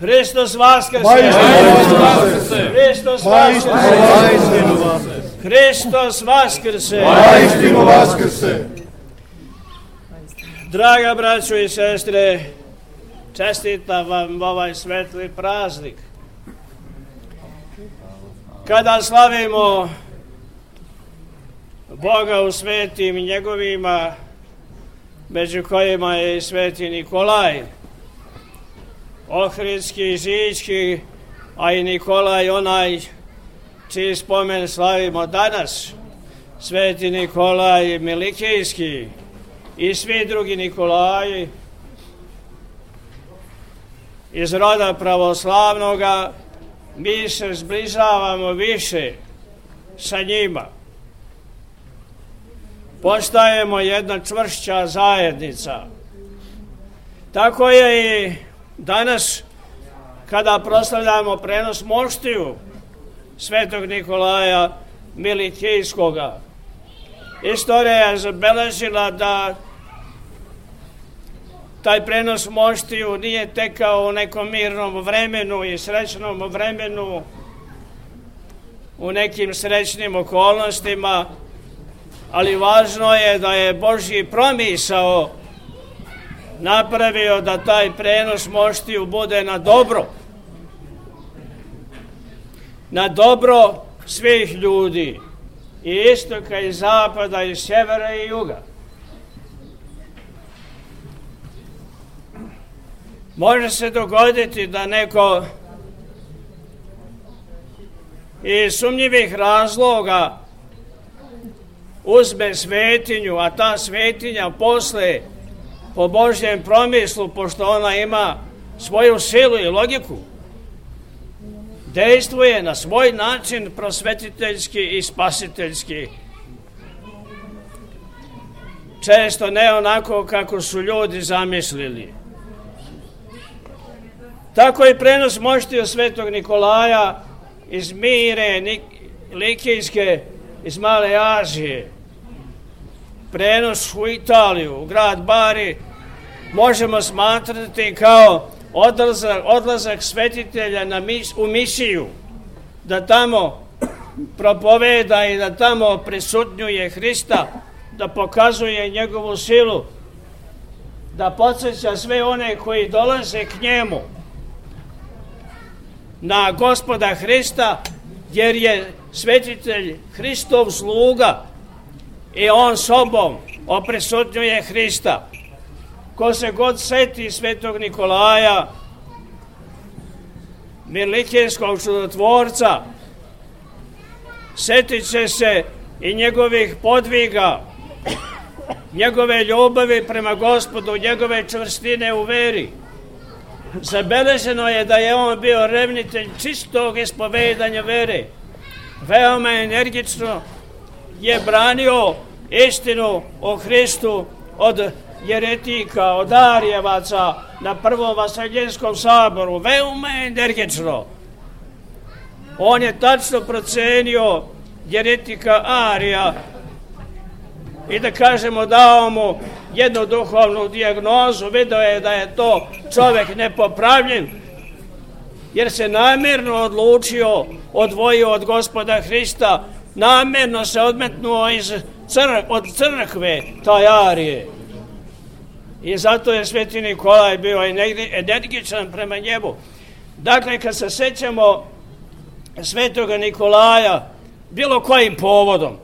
Hristos vaskrse! Hristos vaskrse! Hristos vaskrse! Vaistinu vaskrse! Draga braćo i sestre, čestitam vam ovaj svetli praznik. Kada slavimo Boga u svetim njegovima, među kojima je i sveti Nikolaj, Ohridski, Žički, a i Nikolaj onaj čiji spomen slavimo danas, sveti Nikolaj Milikijski i svi drugi Nikolaji iz roda pravoslavnoga, mi se zbližavamo više sa njima. Postajemo jedna čvršća zajednica. Tako je i danas kada proslavljamo prenos moštiju svetog Nikolaja Milikijskoga. Istorija je zabeležila da taj prenos moštiju nije tekao u nekom mirnom vremenu i srećnom vremenu, u nekim srećnim okolnostima, ali važno je da je Božji promisao napravio da taj prenos moštiju bude na dobro svih ljudi, i istoka i zapada i sjevera i juga. Može se dogoditi da neko iz sumnjivih razloga uzme svetinju, a ta svetinja posle, po Božjem promislu, pošto ona ima svoju silu i logiku, dejstvuje na svoj način prosvetiteljski i spasiteljski. Često ne onako kako su ljudi zamislili. Tako i prenos moštiju svetog Nikolaja iz Mire Likijske, iz Male Azije, prenos u Italiju, u grad Bari, možemo smatrati kao odlazak svetitelja u misiju, da tamo propoveda i da tamo prisutnjuje Hrista, da pokazuje njegovu silu, da podsjeća sve one koji dolaze k njemu na Gospoda Hrista, jer je svetitelj Hristov sluga i on sobom oprisutnjuje Hrista. Ko se god seti svetog Nikolaja, Milikijskog čudotvorca, setit će se i njegovih podviga, njegove ljubavi prema Gospodu, njegove čvrstine u veri. Zabeleženo je da je on bio revnitelj čistog ispovedanja vere. Veoma energično je branio istinu o Hristu od jeretika, od Arijevaca na Prvom Vaseljenskom saboru. Veoma energično. On je tačno procenio jeretika Arija i da kažemo dao mu jednu duhovnu dijagnozu. Video je da je to čovjek nepopravljen, jer se namjerno odlučio, odvojio od Gospoda Hrista, namjerno se odmetnuo od crkve taj Arije. I zato je sveti Nikolaj bio energičan prema njemu. Dakle, kad se sećamo svetoga Nikolaja bilo kojim povodom,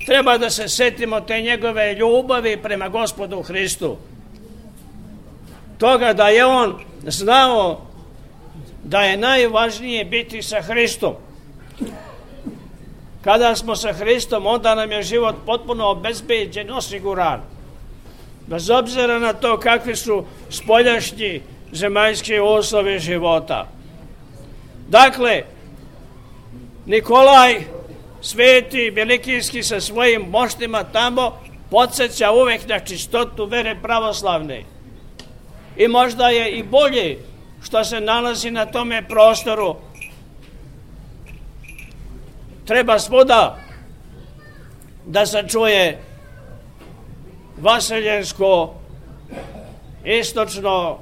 treba da se setimo te njegove ljubavi prema Gospodu Hristu. Toga da je on znao da je najvažnije biti sa Hristom. Kada smo sa Hristom, onda nam je život potpuno obezbeđen, osiguran. Bez obzira na to kakvi su spoljašnji zemaljski uslovi života. Dakle, Nikolaj sveti Milikijski sa svojim moštima tamo podsjeća uvek na čistotu vere pravoslavne. I možda je i bolje što se nalazi na tome prostoru. Treba svuda da se čuje vaseljensko, istočno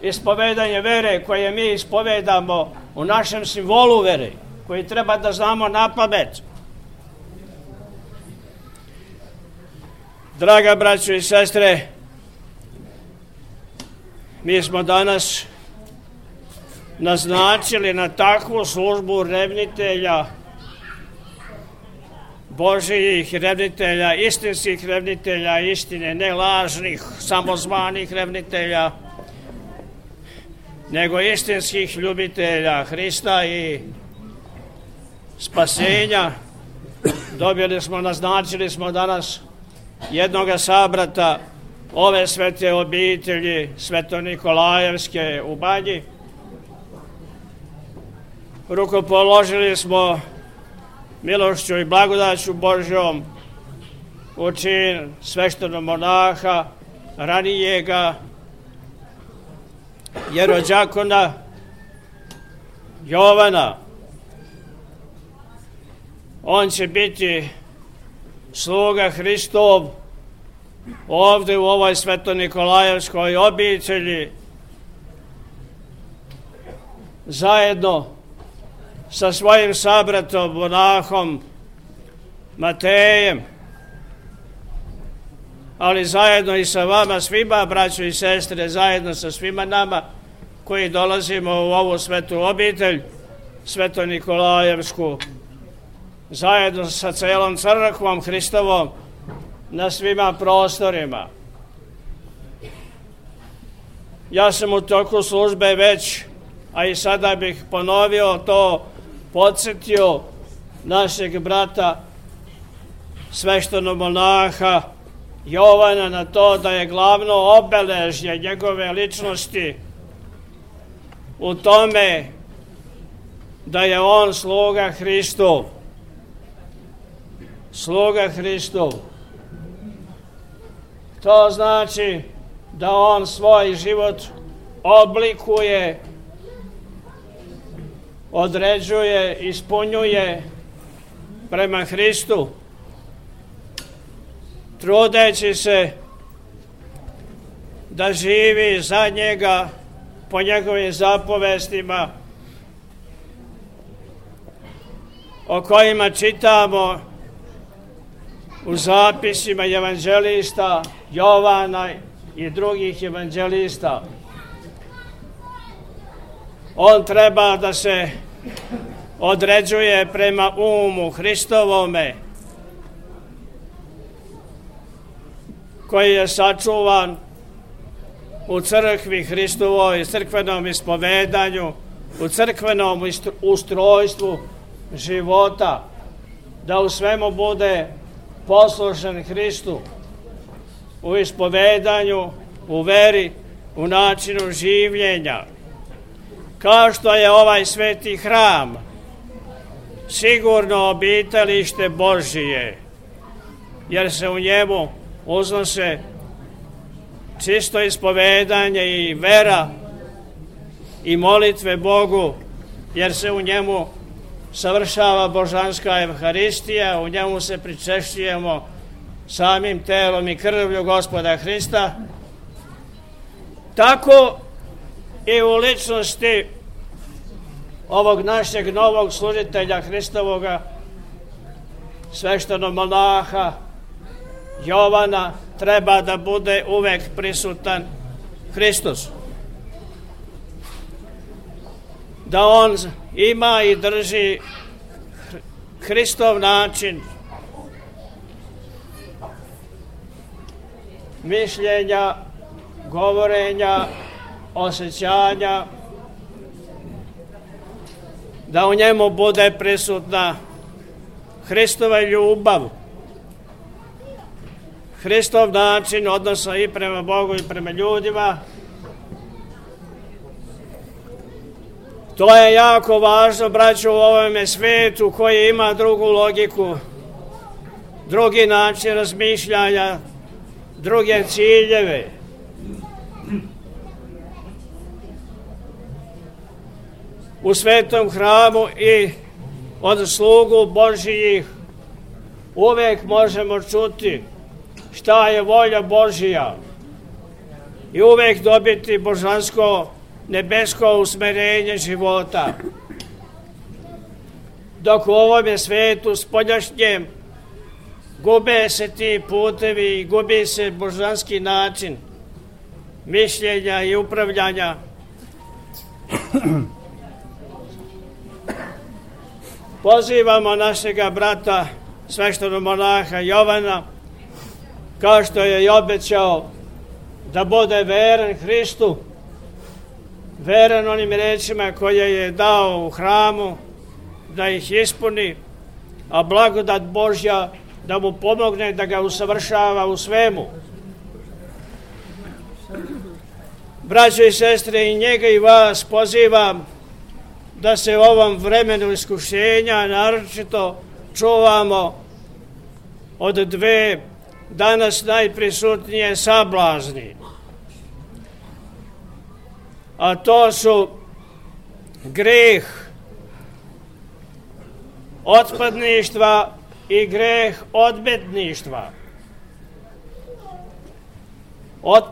ispovedanje vere koje mi ispovedamo u našem simbolu vere, koji treba da znamo na pamet. Draga braćo i sestre, mi smo danas naznačili na takvu službu revnitelja, Božijih revnitelja, istinskih revnitelja istine, ne lažnih, samozvanih revnitelja, nego istinskih ljubitelja Hrista i spasenja. Naznačili smo danas jednoga sabrata ove svete obitelji Sveto-Nikolajevske u Banji. Rukopoložili smo milošću i blagodaću Božjom u čin sveštenog monaha, ranijega jerođakona Jovana. On će biti sluga Hristov ovde u ovoj Sveto-Nikolajevskoj obitelji, zajedno sa svojim sabratom, monahom Matejem, ali zajedno i sa vama svima, braćo i sestre, zajedno sa svima nama koji dolazimo u ovu svetu obitelj, Sveto-Nikolajevsku, zajedno sa celom crkvom Hristovom na svima prostorima. Ja sam u toku službe već, a i sada bih ponovio to, podsjetio našeg brata sveštenog monaha Jovana na to da je glavno obeležje njegove ličnosti u tome da je on sluga Hristov. Sluga Hristov. To znači da on svoj život oblikuje, određuje, ispunjuje prema Hristu, trudeći se da živi za njega po njegovim zapovestima o kojima čitamo u zapisima evanđelista Jovana i drugih evanđelista. On treba da se određuje prema umu Hristovome, koji je sačuvan u crkvi Hristovoj, crkvenom ispovedanju, u crkvenom ustrojstvu života, da u svemu bude poslušan Hristu, u ispovedanju, u veri, u načinu življenja. Kao što je ovaj sveti hram sigurno obitalište Božije, jer se u njemu uznose čisto ispovedanje i vera i molitve Bogu, jer se u njemu savršava božanska Evharistija, u njemu se pričešćujemo samim telom i krvlju Gospoda Hrista. Tako i u ličnosti ovog našeg novog služitelja Hristovoga, sveštenog monaha Jovana, treba da bude uvek prisutan Hristos. Da on ima i drži Hristov način mišljenja, govorenja, osjećanja, da u njemu bude prisutna Hristova ljubav, Hristov način odnosa i prema Bogu i prema ljudima. To je jako važno, braćo, u ovome svetu koji ima drugu logiku, drugi način razmišljanja, druge ciljeve. U svetom hramu i od slugu Božijih uvek možemo čuti šta je volja Božija. i uvek dobiti božansko, nebesko usmerenje života. Dok u ovome svetu spoljašnjem gube se ti putevi i gubi se božanski način mišljenja i upravljanja. Pozivamo našega brata, sveštenog monaha Jovana, kao što je i obećao, da bude veran Hristu, veran onim rečima koje je dao u hramu, da ih ispuni, a blagodat Božja da mu pomogne da ga usavršava u svemu. Braćo i sestre, i njega i vas pozivam da se u ovom vremenu iskušenja naročito čuvamo od dve danas najprisutnije sablazni. A to su greh otpadništva i greh odmetništva.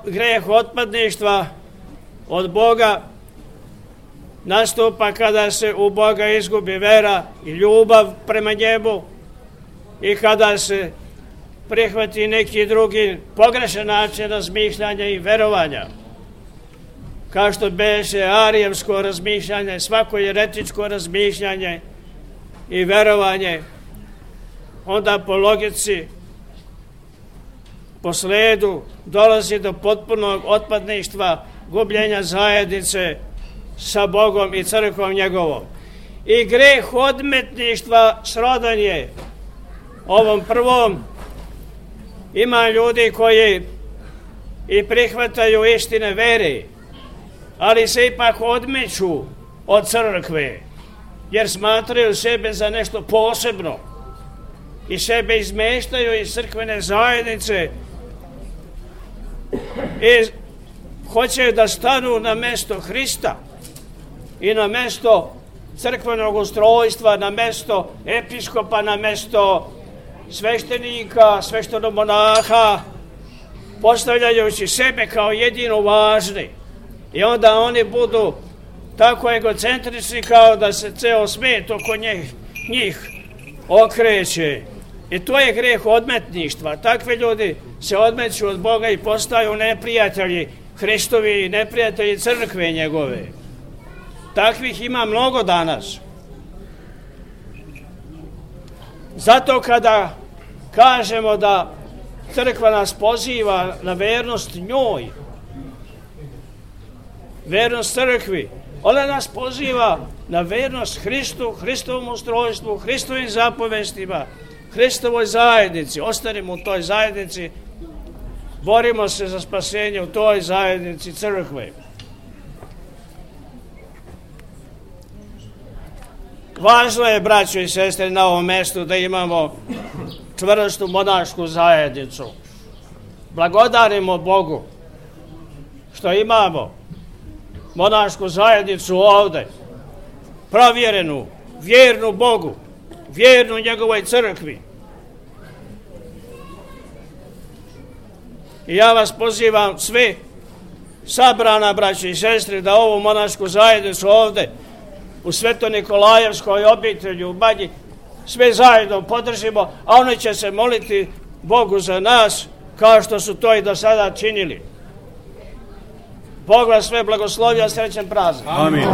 Greh otpadništva od Boga nastupa kada se u Boga izgubi vera i ljubav prema njemu i kada se prihvati neki drugi pogrešan način razmišljanja i verovanja. Kao što beše arijevsko razmišljanje, svako jeretičko razmišljanje i verovanje, onda po logici, po sledu dolazi do potpunog otpadništva, gubljenja zajednice sa Bogom i crkvom njegovom. I greh odmetništva srodan je ovom prvom. Ima ljudi koji i prihvataju istine vere, ali se ipak odmeću od crkve, jer smatraju sebe za nešto posebno i sebe izmeštaju iz crkvene zajednice i hoće da stanu na mesto Hrista i na mesto crkvenog ustrojstva, na mesto episkopa, na mesto sveštenika, sveštenog monaha, postavljajući sebe kao jedino važni. I onda oni budu tako egocentrični kao da se ceo svet oko njih okreće. I to je greh odmetništva. Takvi ljudi se odmeću od Boga i postaju neprijatelji Hristovi i neprijatelji crkve njegove. Takvih ima mnogo danas. Zato kada kažemo da crkva nas poziva na vernost njoj, vernost crkvi, ona nas poziva na vernost Hristu, Hristovom ustrojstvu, Hristovim zapovestima, Hristovoj zajednici. Ostanimo u toj zajednici, borimo se za spasenje u toj zajednici crkve. Važno je, braćo i sestre, na ovom mestu da imamo čvrstu monašku zajednicu. Blagodarimo Bogu što imamo monašku zajednicu ovde, provjerenu, vjernu Bogu, vjernu njegovoj crkvi. I ja vas pozivam sve sabrana, braće i sestre, da ovu monašku zajednicu ovde u Sveto-Nikolajevskoj obitelji u Banji sve zajedno podržimo, a oni će se moliti Bogu za nas kao što su to i do sada činili. Bog vas sve blagoslovio, srećan praznik. Amin.